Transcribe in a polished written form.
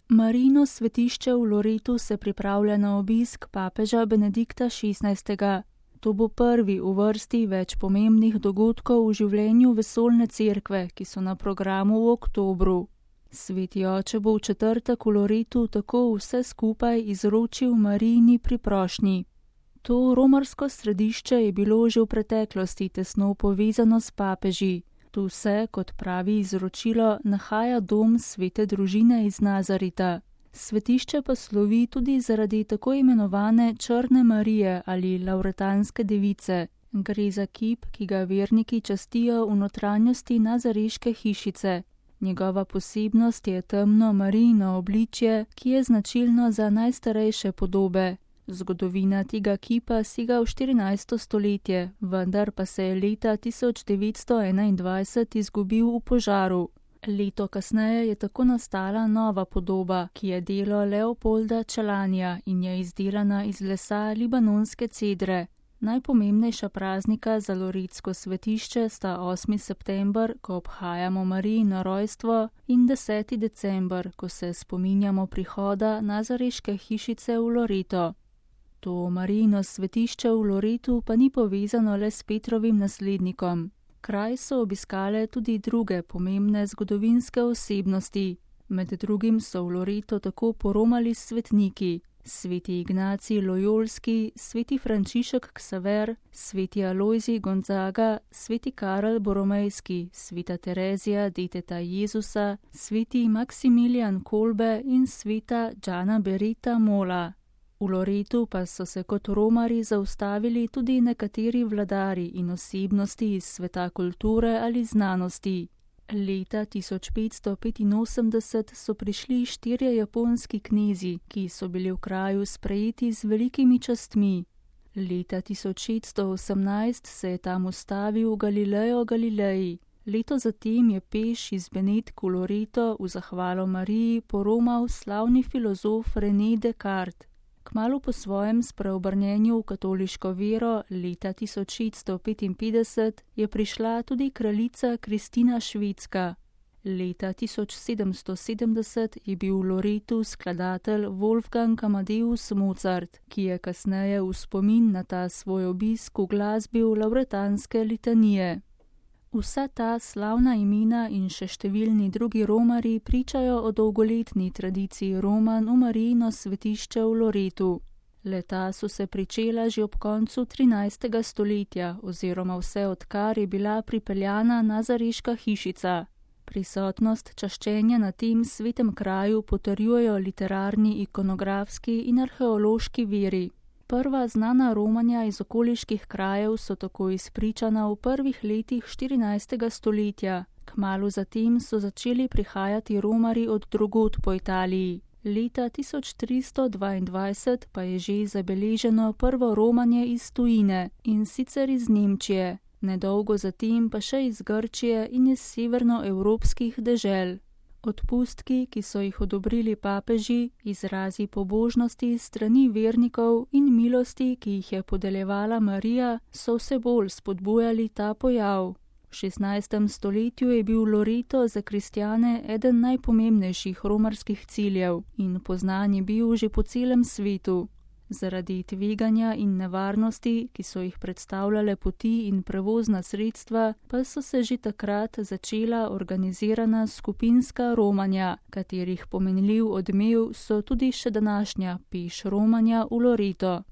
Marijino svetišče v Loretu se pripravlja na obisk papeža Benedikta XVI. To bo prvi v vrsti več pomembnih dogodkov v življenju vesoljne cerkve, ki so na programu v oktobru. Sveti oče bo v četrtek v Loretu tako vse skupaj izročil Marijini priprošnji. To romarsko središče je bilo že v preteklosti tesno povezano s papeži. Tu se, kot pravi izročilo, nahaja dom svete družine iz Nazareta. Svetišče pa slovi tudi zaradi tako imenovane Črne Marije ali Lavretanske device. Gre za kip, ki ga verniki častijo v notranjosti nazareške hišice. Njegova posebnost je temno Marijino obličje, ki je značilno za najstarejše podobe. Zgodovina tega kipa sega v 14. stoletje, vendar pa se je leta 1921 izgubil v požaru. Leto kasneje je tako nastala nova podoba, ki je delo Leopolda Čelanja in je izdelana iz lesa libanonske cedre. Najpomembnejša praznika za loretsko svetišče sta 8. september, ko obhajamo Marijino rojstvo, in 10. december, ko se spominjamo prihoda nazareške hišice v Loreto. To Marijino svetišče v Loretu pa ni povezano le s Petrovim naslednikom. Kraj so obiskale tudi druge pomembne zgodovinske osebnosti. Med drugim so v Loreto tako poromali svetniki: sveti Ignacij Lojolski, sveti Frančišek Ksaver, sveti Alojzij Gonzaga, sveti Karel Boromejski, sveta Terezija deteta Jezusa, sveti Maksimilijan Kolbe in sveta Džana Berita Mola. V Loretu pa so se kot romari zaustavili tudi nekateri vladari in osebnosti iz sveta kulture ali znanosti. Leta 1585 so prišli 4 japonski knezi, ki so bili v kraju sprejeti z velikimi častmi. Leta 1618 se je tam ustavil Galileo Galilei. Leto zatem je peš iz Benetk v Loreto v zahvalo Mariji poromal slavni filozof René Descartes. Kmalu po svojem spreobrnjenju v katoliško vero leta 1655 je prišla tudi kraljica Kristina Švedska. Leta 1770 je bil v Loretu skladatelj Wolfgang Amadeus Mozart, ki je kasneje v spomin na ta svoj obisk uglasbil lavretanske litanije. Vsa ta slavna imena in še številni drugi romari pričajo o dolgoletni tradiciji romanj v Marijino svetišče v Loretu. Leta so se pričela že ob koncu 13. stoletja oziroma vse odkar je bila pripeljana nazareška hišica. Prisotnost čaščenja na tem svetem kraju potrjujejo literarni, ikonografski in arheološki viri. Prva znana romanja iz okoliških krajev so tako izpričana v prvih letih 14. stoletja. Kmalu zatem so začeli prihajati romari od drugod po Italiji. Leta 1322 pa je že zabeleženo prvo romanje iz tujine, in sicer iz Nemčije, nedolgo zatem pa še iz Grčije in iz severnoevropskih dežel. Odpustki, ki so jih odobrili papeži, izrazi pobožnosti strani vernikov in milosti, ki jih je podeljevala Marija, so vse bolj spodbujali ta pojav. V 16. stoletju je bil Loreto za kristjane eden najpomembnejših romarskih ciljev in poznan je bil že po celem svetu. Zaradi tveganja in nevarnosti, ki so jih predstavljale poti in prevozna sredstva, pa so se že takrat začela organizirana skupinska romanja, katerih pomenljiv odmev so tudi še današnja peš romanja v Loreto.